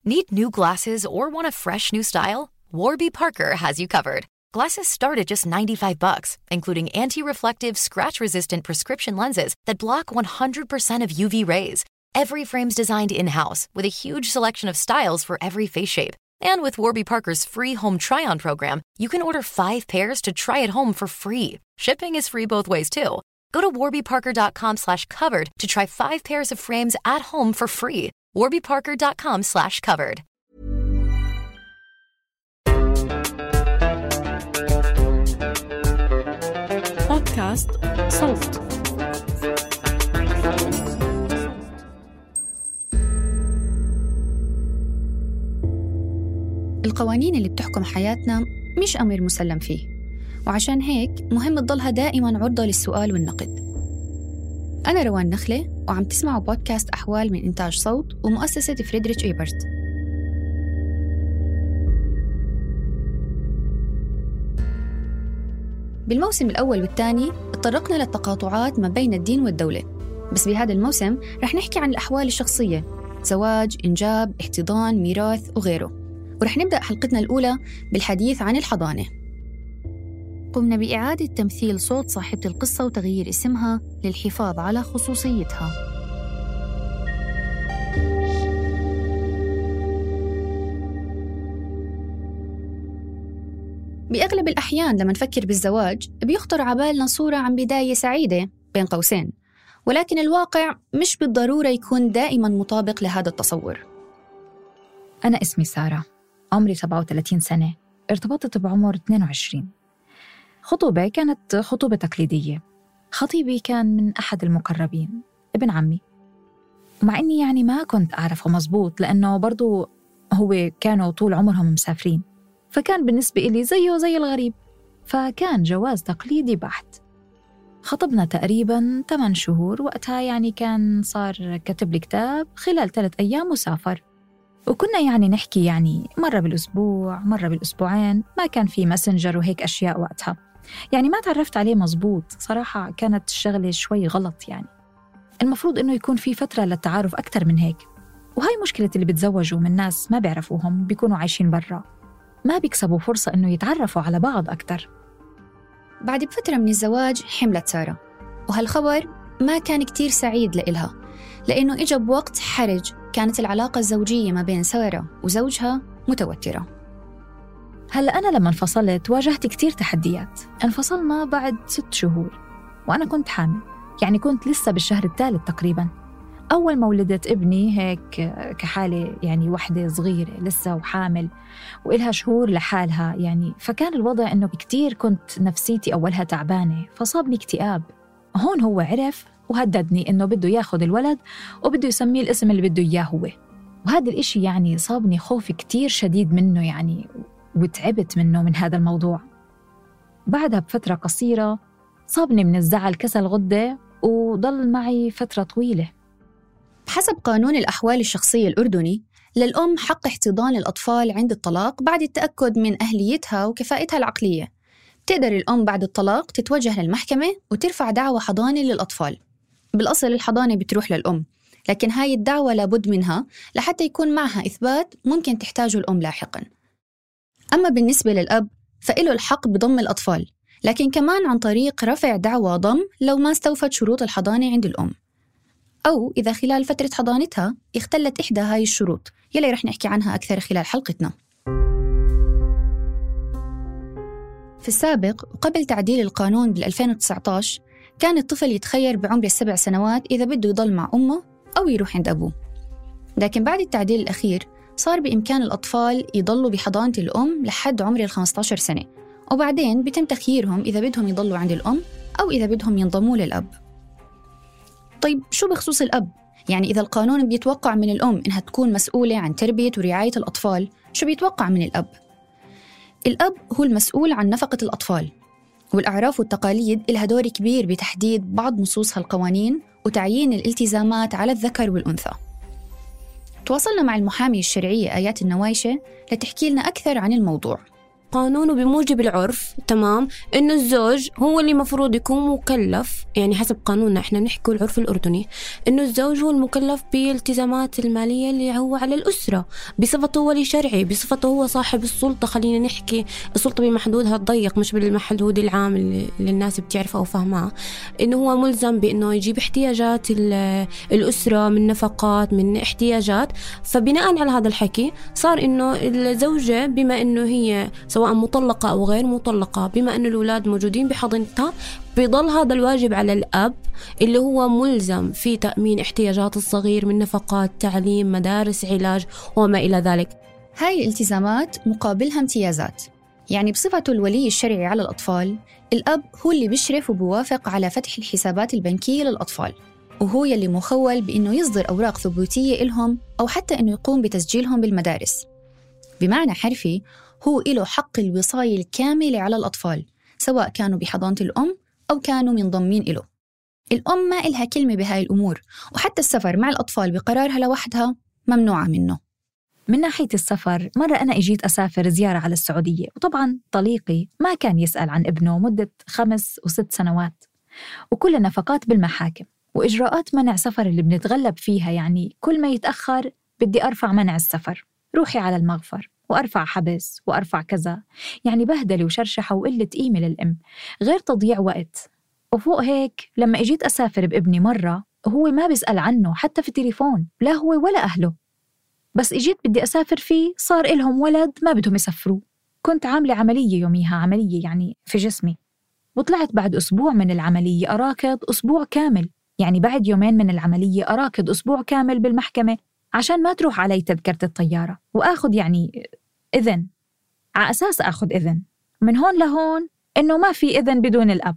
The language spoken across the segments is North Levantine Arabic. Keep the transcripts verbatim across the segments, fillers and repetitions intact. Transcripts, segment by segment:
Need new glasses or want a fresh new style? Warby Parker has you covered. Glasses start at just ninety-five bucks, including anti-reflective, scratch-resistant prescription lenses that block one hundred percent of U V rays. Every frame's designed in-house with a huge selection of styles for every face shape. And with Warby Parker's free home try-on program, you can order five pairs to try at home for free. Shipping is free both ways, too. Go to warbyparker.com slash covered to try five pairs of frames at home for free. warbyparker.com slash covered. بودكاست صوت. القوانين اللي بتحكم حياتنا مش أمر مسلم فيه، وعشان هيك مهم تضلها دائماً عرضة للسؤال والنقد. أنا روان نخلة، وعم تسمعوا بودكاست أحوال من إنتاج صوت ومؤسسة فريدريش إيبرت. بالموسم الأول والثاني اتطرقنا للتقاطعات ما بين الدين والدولة، بس بهذا الموسم رح نحكي عن الأحوال الشخصية: زواج، إنجاب، احتضان، ميراث وغيره. ورح نبدأ حلقتنا الأولى بالحديث عن الحضانة. قمنا بإعادة تمثيل صوت صاحبة القصة وتغيير اسمها للحفاظ على خصوصيتها. بأغلب الأحيان لما نفكر بالزواج بيخطر عبالنا صورة عن بداية سعيدة بين قوسين، ولكن الواقع مش بالضرورة يكون دائماً مطابق لهذا التصور. أنا اسمي سارة، عمري سبعة وثلاثين سنة، ارتبطت بعمر اثنين وعشرين. خطوبة كانت خطوبة تقليدية. خطيبي كان من أحد المقربين، ابن عمي، مع إني يعني ما كنت أعرفه مزبوط لأنه برضو هو كانوا طول عمرهم مسافرين، فكان بالنسبة إلي زيه زي الغريب. فكان جواز تقليدي بحت. خطبنا تقريباً ثمان شهور، وقتها يعني كان صار كتب لي كتاب خلال ثلاث أيام وسافر. وكنا يعني نحكي يعني مرة بالأسبوع مرة بالأسبوعين، ما كان في ماسنجر وهيك أشياء وقتها، يعني ما تعرفت عليه مزبوط. صراحة كانت الشغلة شوي غلط، يعني المفروض إنه يكون في فترة للتعارف أكتر من هيك. وهاي مشكلة اللي بتزوجوا من ناس ما بيعرفوهم، بيكونوا عايشين برا، ما بيكسبوا فرصة إنه يتعرفوا على بعض أكتر. بعد بفترة من الزواج حملت سارة، وهالخبر ما كان كتير سعيد لإلها، لأنه إجا بوقت حرج. كانت العلاقة الزوجية ما بين سارة وزوجها متوترة. هلأ أنا لما انفصلت واجهت كتير تحديات. انفصلنا بعد ست شهور وأنا كنت حامل، يعني كنت لسه بالشهر الثالث تقريباً. أول ما ولدت ابني هيك كحالة، يعني وحدة صغيرة لسه وحامل وإلها شهور لحالها، يعني فكان الوضع إنه كتير كنت نفسيتي أولها تعبانة، فصابني اكتئاب. هون هو عرف وهددني إنه بده ياخد الولد وبده يسميه الاسم اللي بده إياه هو. وهذا الإشي يعني صابني خوف كتير شديد منه، يعني وتعبت منه من هذا الموضوع. بعدها بفترة قصيرة صابني من الزعل كسل غدة، وضل معي فترة طويلة. بحسب قانون الأحوال الشخصية الأردني، للأم حق احتضان الأطفال عند الطلاق بعد التأكد من أهليتها وكفاءتها العقلية. تقدر الأم بعد الطلاق تتوجه للمحكمة وترفع دعوى حضانة للأطفال. بالأصل الحضانة بتروح للأم، لكن هاي الدعوة لابد منها لحتى يكون معها إثبات ممكن تحتاجه الأم لاحقاً. أما بالنسبة للأب فإله الحق بضم الأطفال، لكن كمان عن طريق رفع دعوى ضم لو ما استوفت شروط الحضانة عند الأم، أو إذا خلال فترة حضانتها اختلت إحدى هاي الشروط يلي رح نحكي عنها أكثر خلال حلقتنا. في السابق وقبل تعديل القانون بال2019 كان الطفل يتخير بعمر السبع سنوات إذا بده يضل مع أمه أو يروح عند أبوه، لكن بعد التعديل الأخير صار بإمكان الأطفال يضلوا بحضانة الأم لحد عمر الخمسة عشر سنة، وبعدين بيتم تخييرهم إذا بدهم يضلوا عند الأم أو إذا بدهم ينضموا للأب. طيب شو بخصوص الأب؟ يعني إذا القانون بيتوقع من الأم إنها تكون مسؤولة عن تربية ورعاية الأطفال، شو بيتوقع من الأب؟ الأب هو المسؤول عن نفقة الأطفال، والأعراف والتقاليد إلها دور كبير بتحديد بعض نصوص هالقوانين وتعيين الالتزامات على الذكر والأنثى. تواصلنا مع المحامية الشرعية آيات النوايشة لتحكي لنا أكثر عن الموضوع. القانون وبموجب العرف تمام إنه الزوج هو اللي مفروض يكون مكلف، يعني حسب قانوننا إحنا نحكي العرف الأردني إنه الزوج هو المكلف بالالتزامات المالية اللي هو على الأسرة بصفته ولي شرعي، بصفته هو صاحب السلطة. خلينا نحكي السلطة بمحدودها الضيق مش بالمحدود العام اللي الناس بتعرفه أو فهمها، إنه هو ملزم بإنه يجيب احتياجات الأسرة من نفقات من احتياجات. فبناء على هذا الحكي صار إنه الزوجة بما إنه هي سواء مطلقة أو غير مطلقة، بما إنه الأولاد موجودين بحضنتها، بيضل هذا الواجب على الأب اللي هو ملزم في تأمين احتياجات الصغير من نفقات تعليم مدارس علاج وما إلى ذلك. هاي الالتزامات مقابلها امتيازات، يعني بصفته الولي الشرعي على الأطفال الأب هو اللي بيشرف وبوافق على فتح الحسابات البنكية للأطفال، وهو يلي مخول بإنه يصدر أوراق ثبوتية إلهم أو حتى إنه يقوم بتسجيلهم بالمدارس. بمعنى حرفي هو إله حق الوصاية الكاملة على الأطفال سواء كانوا بحضانة الأم أو كانوا منضمين إله. الأم ما إلها كلمة بهاي الأمور، وحتى السفر مع الأطفال بقرارها لوحدها ممنوعة منه. من ناحية السفر، مرة أنا إجيت أسافر زيارة على السعودية، وطبعاً طليقي ما كان يسأل عن ابنه مدة خمس وست سنوات، وكل النفقات بالمحاكم وإجراءات منع سفر اللي بنتغلب فيها. يعني كل ما يتأخر بدي أرفع منع السفر، روحي على المغفر وأرفع حبس وأرفع كذا، يعني بهدلة وشرشحة وقلة قيمة للأم غير تضييع وقت. وفوق هيك لما إجيت أسافر بابني مرة هو ما بيسأل عنه حتى في التليفون، لا هو ولا أهله، بس إجيت بدي أسافر فيه صار إلهم ولد ما بدهم يسافروا. كنت عاملة عملية يوميها، عملية يعني في جسمي، وطلعت بعد أسبوع من العملية أراكض أسبوع كامل، يعني بعد يومين من العملية أراكض أسبوع كامل بالمحكمة عشان ما تروح علي تذكرة الطيارة وآخذ يعني إذن، على أساس أخذ إذن من هون لهون إنه ما في إذن بدون الأب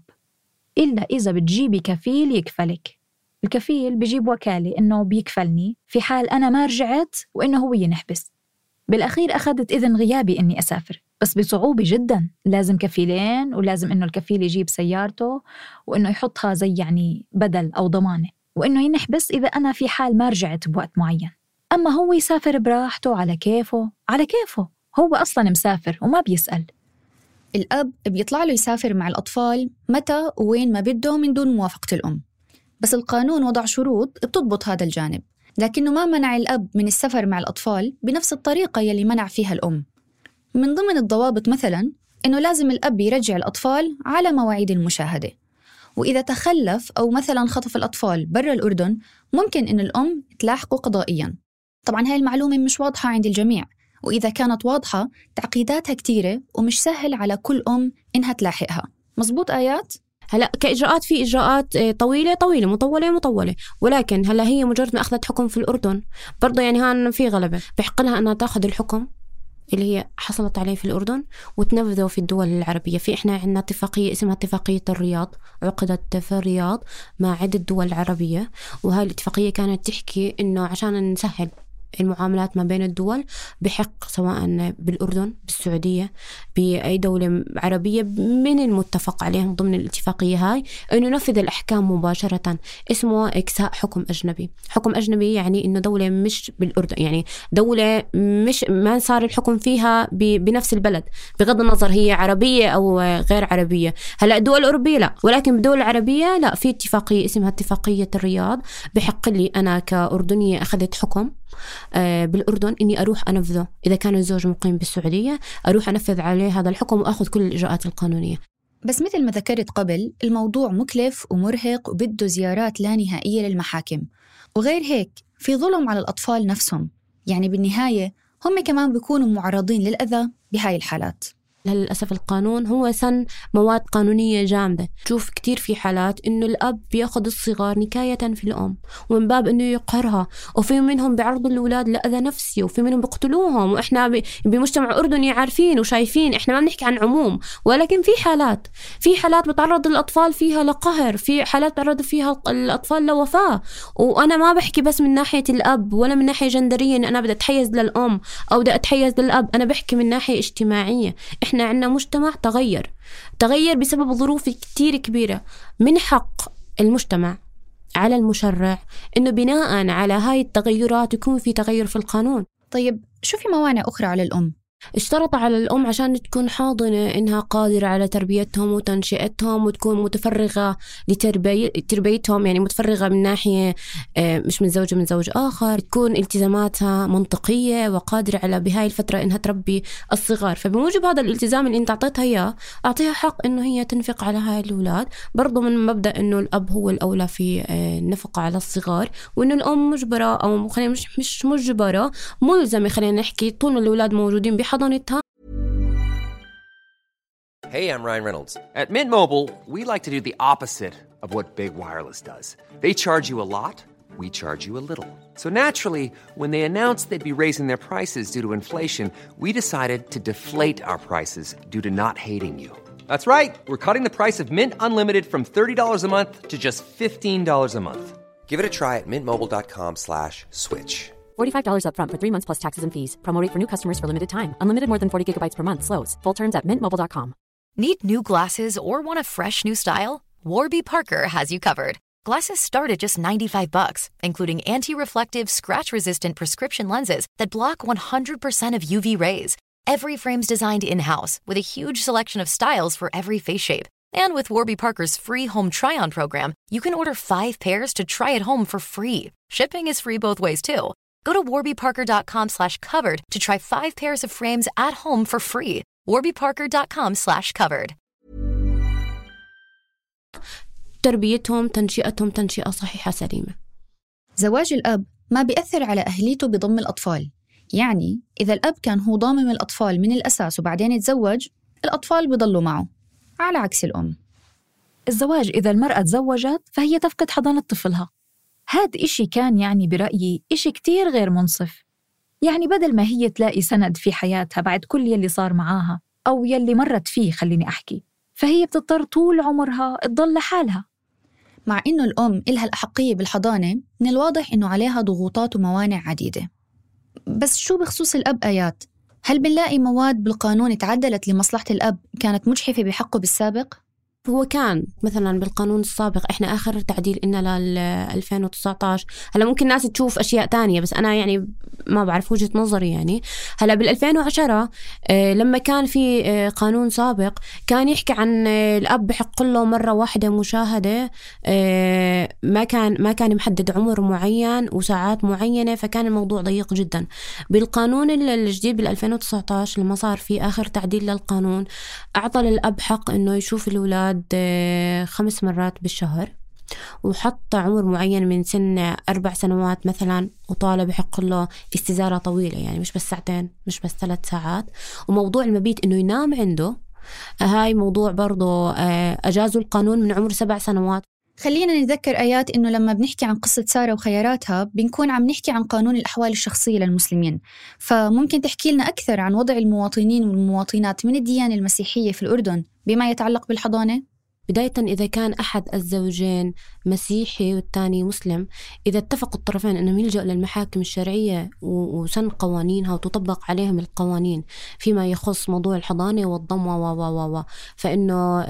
إلا إذا بتجيبي كفيل يكفلك. الكفيل بيجيب وكالة إنه بيكفلني في حال أنا ما رجعت وإنه هو ينحبس. بالأخير أخذت إذن غيابي إني أسافر، بس بصعوبة جدا، لازم كفيلين ولازم إنه الكفيل يجيب سيارته وإنه يحطها زي يعني بدل أو ضمانة، وإنه ينحبس إذا أنا في حال ما رجعت بوقت معين. أما هو يسافر براحته على كيفه، على كيفه هو أصلاً مسافر وما بيسأل. الأب بيطلع له يسافر مع الأطفال متى وين ما بده من دون موافقة الأم، بس القانون وضع شروط بتضبط هذا الجانب، لكنه ما منع الأب من السفر مع الأطفال بنفس الطريقة يلي منع فيها الأم. من ضمن الضوابط مثلاً إنه لازم الأب يرجع الأطفال على مواعيد المشاهدة، وإذا تخلف أو مثلاً خطف الأطفال برا الأردن ممكن إن الأم تلاحقه قضائياً. طبعاً هاي المعلومة مش واضحة عند الجميع، وإذا كانت واضحة تعقيداتها كتيرة ومش سهل على كل أم إنها تلاحقها. مزبوط آيات؟ هلا كإجراءات في إجراءات طويلة طويلة مطولة مطولة، ولكن هلا هي مجرد ما أخذت حكم في الأردن برضه يعني هان في غلبة بحق لها أنها تأخذ الحكم اللي هي حصلت عليه في الأردن وتنفذه في الدول العربية. في إحنا عندنا اتفاقية اسمها اتفاقية الرياض، عقدت في الرياض مع عدة دول عربية، وهاي الاتفاقية كانت تحكي إنه عشان نسهل المعاملات ما بين الدول بحق سواء بالأردن بالسعودية بأي دولة عربية من المتفق عليهم ضمن الاتفاقية هاي أنه ننفذ الأحكام مباشرة. اسمه إكساء حكم أجنبي. حكم أجنبي يعني أنه دولة مش بالأردن، يعني دولة مش ما صار الحكم فيها بنفس البلد بغض النظر هي عربية أو غير عربية. هلأ الدول الأوروبية لا، ولكن بالدول العربية لا، في اتفاقية اسمها اتفاقية الرياض بحق لي أنا كأردنية أخذت حكم بالأردن إني أروح أنفذه. إذا كان الزوج مقيم بالسعودية أروح أنفذ عليه هذا الحكم وأخذ كل الإجراءات القانونية. بس مثل ما ذكرت قبل الموضوع مكلف ومرهق وبده زيارات لا نهائية للمحاكم، وغير هيك في ظلم على الأطفال نفسهم، يعني بالنهاية هم كمان بيكونوا معرضين للأذى بهاي الحالات. للأسف القانون هو سن مواد قانونية جامدة. تشوف كتير في حالات إنه الأب بياخد الصغار نكاية في الأم ومن باب إنه يقهرها، وفي منهم بيعرضوا الأولاد لأذى نفسي، وفي منهم بيقتلوهم، وإحنا بمجتمع أردني عارفين وشايفين، إحنا ما بنحكي عن عموم، ولكن في حالات في حالات بتعرض الأطفال فيها لقهر، في حالات بتعرض فيها الأطفال لوفاة. وأنا ما بحكي بس من ناحية الأب ولا من ناحية جندرية إن أنا بدي أتحيز للأم أو بدي أتحيز للأب، أنا بحكي من ناحية اجتماعية. إحنا عندنا مجتمع تغير تغير بسبب ظروف كتير كبيرة. من حق المجتمع على المشرع إنه بناء على هاي التغيرات يكون في تغير في القانون. طيب شو في موانع أخرى على الأم؟ اشترط على الأم عشان تكون حاضنة إنها قادرة على تربيتهم وتنشئتهم وتكون متفرغة لتربيتهم، يعني متفرغة من ناحية مش من زوج من زوج آخر، تكون التزاماتها منطقية وقادرة على بهاي الفترة إنها تربي الصغار. فبموجب هذا الالتزام اللي انت أعطيتها إياه، أعطيها حق إنه هي تنفق على هاي الأولاد، برضو من مبدأ إنه الأب هو الأولى في النفقة على الصغار، وإنه الأم مجبرة أو خلينا مش مش مجبرة ملزمة خلينا نحكي طول ما الأولاد موجودين بحضانتها. Hey, I'm Ryan Reynolds. At Mint Mobile, we like to do the opposite of what Big Wireless does. They charge you a lot, we charge you a little. So naturally, when they announced they'd be raising their prices due to inflation, we decided to deflate our prices due to not hating you. That's right. We're cutting the price of Mint Unlimited from thirty dollars a month to just fifteen dollars a month. Give it a try at mintmobile.com slash switch. forty-five dollars up front for three months plus taxes and fees. Promo rate for new customers for limited time. Unlimited more than forty gigabytes per month. Slows full terms at mint mobile dot com. Need new glasses or want a fresh new style? Warby Parker has you covered. Glasses start at just ninety-five bucks, including anti-reflective, scratch-resistant prescription lenses that block one hundred percent of U V rays. Every frame's designed in-house with a huge selection of styles for every face shape. And with Warby Parker's free home try-on program, you can order five pairs to try at home for free. Shipping is free both ways, too. Go to warbyparker.com slash covered to try five pairs of frames at home for free. warbyparker.com slash covered. تربيتهم تنشئتهم تنشئة صحيحة سليمة. زواج الأب ما بيأثر على أهليته بضم الأطفال. يعني إذا الأب كان هو ضامم الأطفال من الأساس وبعدين يتزوج، الأطفال بيضلوا معه، على عكس الأم. الزواج إذا المرأة تزوجت فهي تفقد حضانة طفلها. هاد إشي كان يعني برأيي إشي كتير غير منصف. يعني بدل ما هي تلاقي سند في حياتها بعد كل يلي صار معاها أو يلي مرت فيه خليني أحكي، فهي بتضطر طول عمرها تضل لحالها. مع إنه الأم إلها الأحقية بالحضانة، من الواضح إنه عليها ضغوطات وموانع عديدة. بس شو بخصوص الأب آيات؟ هل بنلاقي مواد بالقانون تعدلت لمصلحة الأب كانت مجحفة بحقه بالسابق؟ هو كان مثلا بالقانون السابق، احنا اخر تعديل إننا لل ألفين وتسعة عشر. هلا ممكن ناس تشوف اشياء تانية بس انا يعني ما بعرف وجهة نظري. يعني هلا بال ألفين وعشرة اه لما كان في اه قانون سابق كان يحكي عن اه الاب بحق له مرة واحدة مشاهدة، اه ما كان ما كان محدد عمر معين وساعات معينة، فكان الموضوع ضيق جدا. بالقانون الجديد بال ألفين وتسعة عشر لما صار في اخر تعديل للقانون، اعطى للاب حق انه يشوف الاولاد خمس مرات بالشهر، وحط عمر معين من سن أربع سنوات مثلا، وطالب بحق له استزارة طويلة، يعني مش بس ساعتين مش بس ثلاث ساعات. وموضوع المبيت إنه ينام عنده، هاي موضوع برضو أجازوا القانون من عمر سبع سنوات. خلينا نتذكر آيات إنه لما بنحكي عن قصة سارة وخياراتها بنكون عم نحكي عن قانون الأحوال الشخصية للمسلمين. فممكن تحكي لنا أكثر عن وضع المواطنين والمواطنات من الديانة المسيحية في الأردن بما يتعلق بالحضانة؟ بداية إذا كان أحد الزوجين مسيحي والثاني مسلم، إذا اتفقوا الطرفين أنهم يلجأوا للمحاكم الشرعية وسن قوانينها وتطبق عليهم القوانين فيما يخص موضوع الحضانة والضم و و و فإنه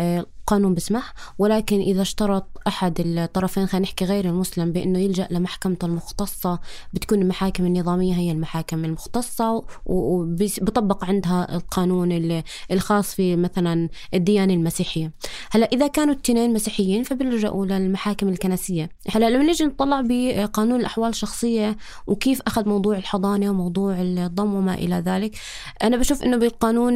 قانون بسمح. ولكن إذا اشترط أحد الطرفين، خلينا نحكي غير المسلم، بأنه يلجأ لمحكمته المختصة، بتكون المحاكم النظامية هي المحاكم المختصة وبطبق عندها القانون الخاص في مثلا الديانة المسيحية. هلا إذا كانوا التنين مسيحيين فبيلجأوا للمحاكم الكنسية. هلا لما نيجي نطلع بقانون الأحوال الشخصية وكيف أخذ موضوع الحضانة وموضوع الضم وما إلى ذلك، أنا بشوف إنه بالقانون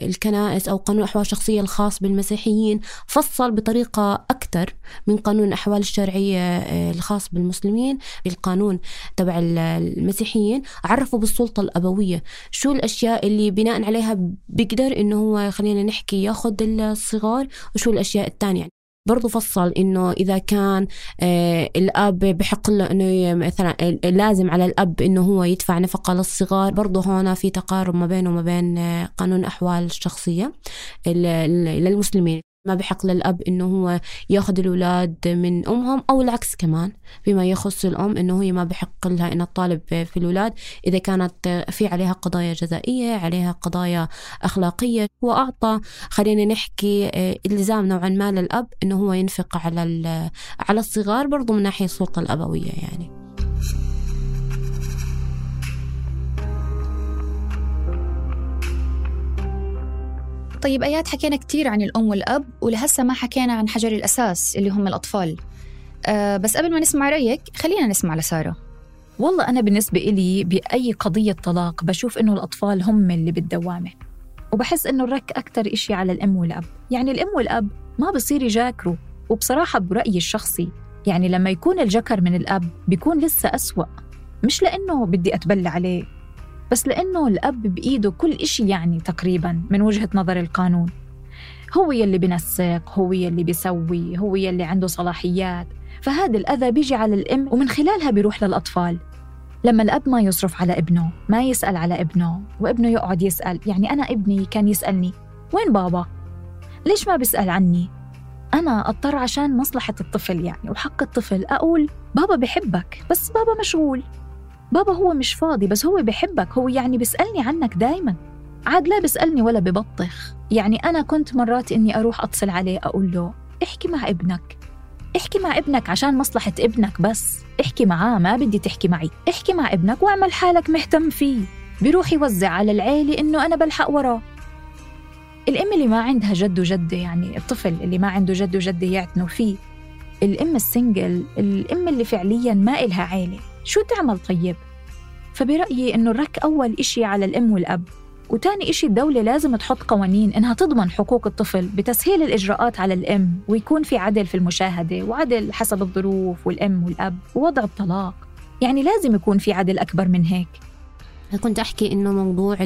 الكنائس أو قانون الأحوال الشخصية الخاص بالمسيحيين فصل بطريقة أكثر من قانون الأحوال الشرعية الخاص بالمسلمين. بالقانون تبع المسيحيين عرفوا بالسلطة الأبوية شو الأشياء اللي بناء عليها بيقدر إنه هو خلينا نحكي ياخد الصغار، وشو الأشياء التانية. برضو فصل إنه إذا كان آه الأب بحق له إنه مثلا لازم على الأب إنه هو يدفع نفقة للصغار. برضو هنا في تقارب ما بينه وما بين آه قانون أحوال الشخصية للمسلمين. ما بحق للأب إنه هو ياخذ الأولاد من أمهم، أو العكس كمان بما يخص الأم إنه هي ما بحق لها إن الطالب في الأولاد إذا كانت في عليها قضايا جزائية، عليها قضايا أخلاقية. وأعطى خلينا نحكي إلزام نوعا ما للأب إنه هو ينفق على على الصغار برضو من ناحية السلطة الأبوية. يعني طيب آيات، حكينا كتير عن الأم والأب ولهسه ما حكينا عن حجر الأساس اللي هم الأطفال. أه بس قبل ما نسمع رأيك خلينا نسمع لسارة. والله أنا بالنسبة إلي بأي قضية طلاق بشوف إنه الأطفال هم اللي بالدوامة، وبحس إنه الرك أكتر إشي على الأم والأب. يعني الأم والأب ما بصير يجاكروا، وبصراحة برأيي الشخصي يعني لما يكون الجكر من الأب بيكون لسه أسوأ، مش لأنه بدي أتبلى عليه، بس لأنه الأب بإيده كل إشي يعني تقريباً من وجهة نظر القانون. هو يلي بنسق، هو يلي بيسوي، هو يلي عنده صلاحيات، فهذا الأذى بيجي على الأم ومن خلالها بيروح للأطفال. لما الأب ما يصرف على ابنه، ما يسأل على ابنه، وابنه يقعد يسأل، يعني أنا ابني كان يسألني وين بابا؟ ليش ما بيسأل عني؟ أنا أضطر عشان مصلحة الطفل يعني وحق الطفل أقول بابا بحبك بس بابا مشغول، بابا هو مش فاضي بس هو بحبك، هو يعني بيسألني عنك دايما، عاد لا بيسألني ولا ببطخ. يعني أنا كنت مرات إني أروح أتصل عليه أقول له احكي مع ابنك، احكي مع ابنك عشان مصلحة ابنك، بس احكي معاه، ما بدي تحكي معي، احكي مع ابنك واعمل حالك مهتم فيه. بيروح يوزع على العيلة إنه أنا بلحق وراه. الأم اللي ما عندها جد وجدة، يعني الطفل اللي ما عنده جد وجدة يعتنوا فيه، الأم السنجل، الأم اللي فعلياً ما إلها عيلة، شو تعمل طيب؟ فبرأيي إنه الرك أول إشي على الأم والأب، وتاني إشي الدولة لازم تحط قوانين إنها تضمن حقوق الطفل بتسهيل الإجراءات على الأم، ويكون في عدل في المشاهدة وعدل حسب الظروف والأم والأب ووضع الطلاق. يعني لازم يكون في عدل أكبر من هيك. كنت أحكي إنه موضوع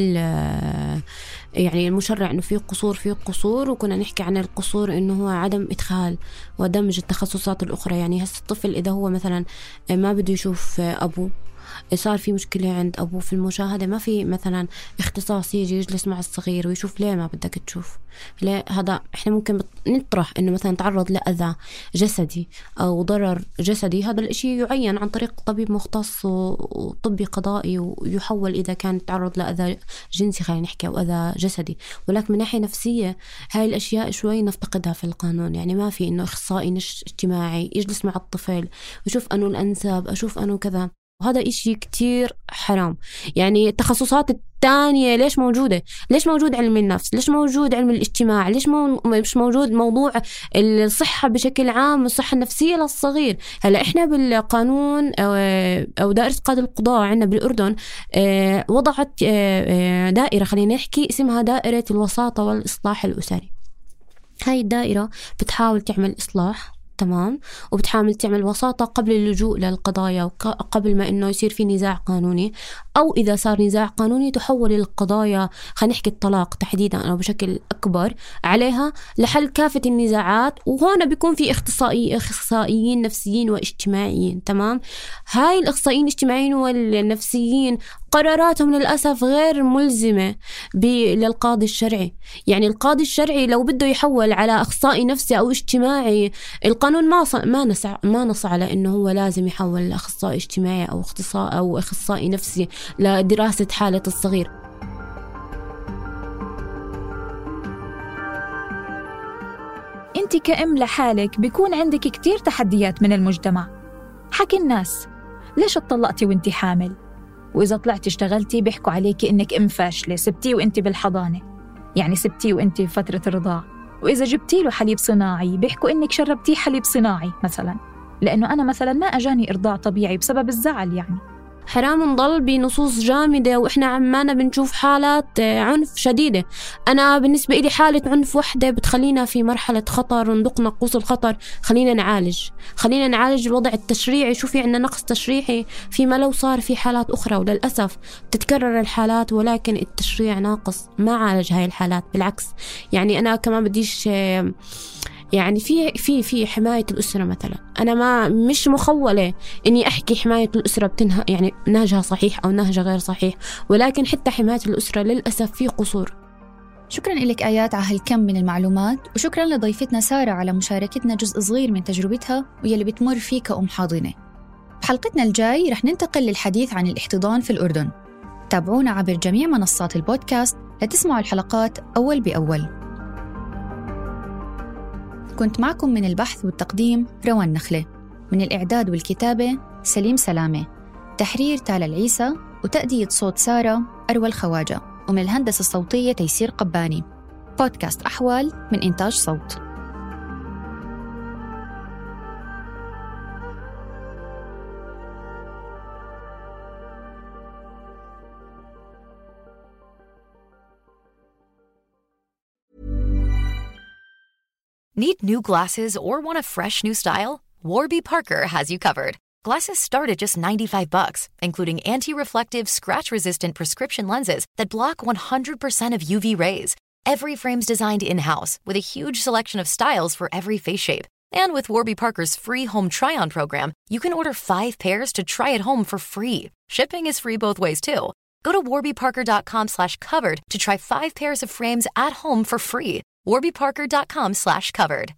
يعني المشرع إنه فيه قصور فيه قصور وكنا نحكي عن القصور إنه هو عدم إدخال ودمج التخصصات الأخرى. يعني هسه الطفل إذا هو مثلا ما بده يشوف أبوه، صار في مشكلة عند أبوه في المشاهدة، ما في مثلا اختصاص يجي يجلس مع الصغير ويشوف ليه ما بدك تشوف، ليه هذا. إحنا ممكن نطرح إنه مثلا تعرض لأذى جسدي أو ضرر جسدي، هذا الإشي يعين عن طريق طبيب مختص وطبي قضائي ويحول إذا كان تعرض لأذى جنسي خلينا نحكي أو أذى جسدي. ولكن من ناحية نفسية هاي الأشياء شوي نفتقدها في القانون. يعني ما في إنه إخصائي نش اجتماعي يجلس مع الطفل ويشوف أنه الأنسب، أشوف أنه كذا، وهذا إشي كتير حرام. يعني التخصصات التانية ليش موجودة؟ ليش موجود علم النفس؟ ليش موجود علم الاجتماع؟ ليش مو مش موجود موضوع الصحة بشكل عام والصحة النفسية للصغير؟ هلا إحنا بالقانون أو, أو دائرة قاضي القضاء عندنا بالأردن وضعت دائرة خلينا نحكي اسمها دائرة الوساطة والإصلاح الأسري. هاي الدائرة بتحاول تعمل إصلاح، تمام، وبتحاول تعمل وساطة قبل اللجوء للقضايا وقبل ما إنه يصير في نزاع قانوني، أو إذا صار نزاع قانوني تحول القضايا خلينا نحكي الطلاق تحديدا أو بشكل أكبر عليها لحل كافة النزاعات. وهنا بيكون في اختصائي اختصائيين نفسيين واجتماعيين، تمام. هاي الاختصائيين الاجتماعيين والنفسيين قراراتهم للأسف غير ملزمة للقاضي الشرعي. يعني القاضي الشرعي لو بده يحول على أخصائي نفسي أو اجتماعي، القانون ما ما نص ما نص على إنه هو لازم يحول لأخصائي اجتماعي أو اختصائي أو أخصائي نفسي لدراسة حالة الصغير. أنت كأم لحالك بيكون عندك كتير تحديات من المجتمع، حكي الناس ليش اتطلقتي وانت حامل، وإذا طلعتي اشتغلتي بيحكوا عليكي إنك أم فاشلة، سبتيه وانت بالحضانة، يعني سبتيه وانت في فترة الرضاع، وإذا جبتي له حليب صناعي بيحكوا إنك شربتيه حليب صناعي مثلا، لأنه أنا مثلا ما أجاني إرضاع طبيعي بسبب الزعل. يعني حرام نضل بنصوص جامدة وإحنا عمانا بنشوف حالات عنف شديدة. أنا بالنسبة إلي حالة عنف وحدة بتخلينا في مرحلة خطر وندق نقوص الخطر. خلينا نعالج خلينا نعالج الوضع التشريعي. شوفي عندنا نقص تشريعي فيما لو صار في حالات أخرى، وللأسف تتكرر الحالات ولكن التشريع ناقص ما عالج هاي الحالات. بالعكس، يعني أنا كمان بديش يعني في في في حماية الأسرة مثلا، أنا ما مش مخولة إني أحكي حماية الأسرة بتنها يعني نهجها صحيح أو نهجها غير صحيح، ولكن حتى حماية الأسرة للأسف في قصور. شكراً لك آيات على هالكم من المعلومات، وشكراً لضيفتنا سارة على مشاركتنا جزء صغير من تجربتها ويلي بتمر فيه كأم حاضنة. بحلقتنا الجاي رح ننتقل للحديث عن الاحتضان في الأردن. تابعونا عبر جميع منصات البودكاست لتسمعوا الحلقات أول بأول. كنت معكم من البحث والتقديم روان نخلة، من الإعداد والكتابة سليم سلامة، تحرير تالا العيسى، وتأدية صوت سارة أروى الخواجة، ومن الهندسة الصوتية تيسير قباني. بودكاست أحوال من إنتاج صوت. Need new glasses or want a fresh new style? Warby Parker has you covered. Glasses start at just ninety-five bucks, including anti-reflective, scratch-resistant prescription lenses that block one hundred percent of U V rays. Every frame's designed in-house with a huge selection of styles for every face shape. And with Warby Parker's free home try-on program, you can order five pairs to try at home for free. Shipping is free both ways, too. Go to warbyparker.com slash covered to try five pairs of frames at home for free. warbyparker.com slash covered.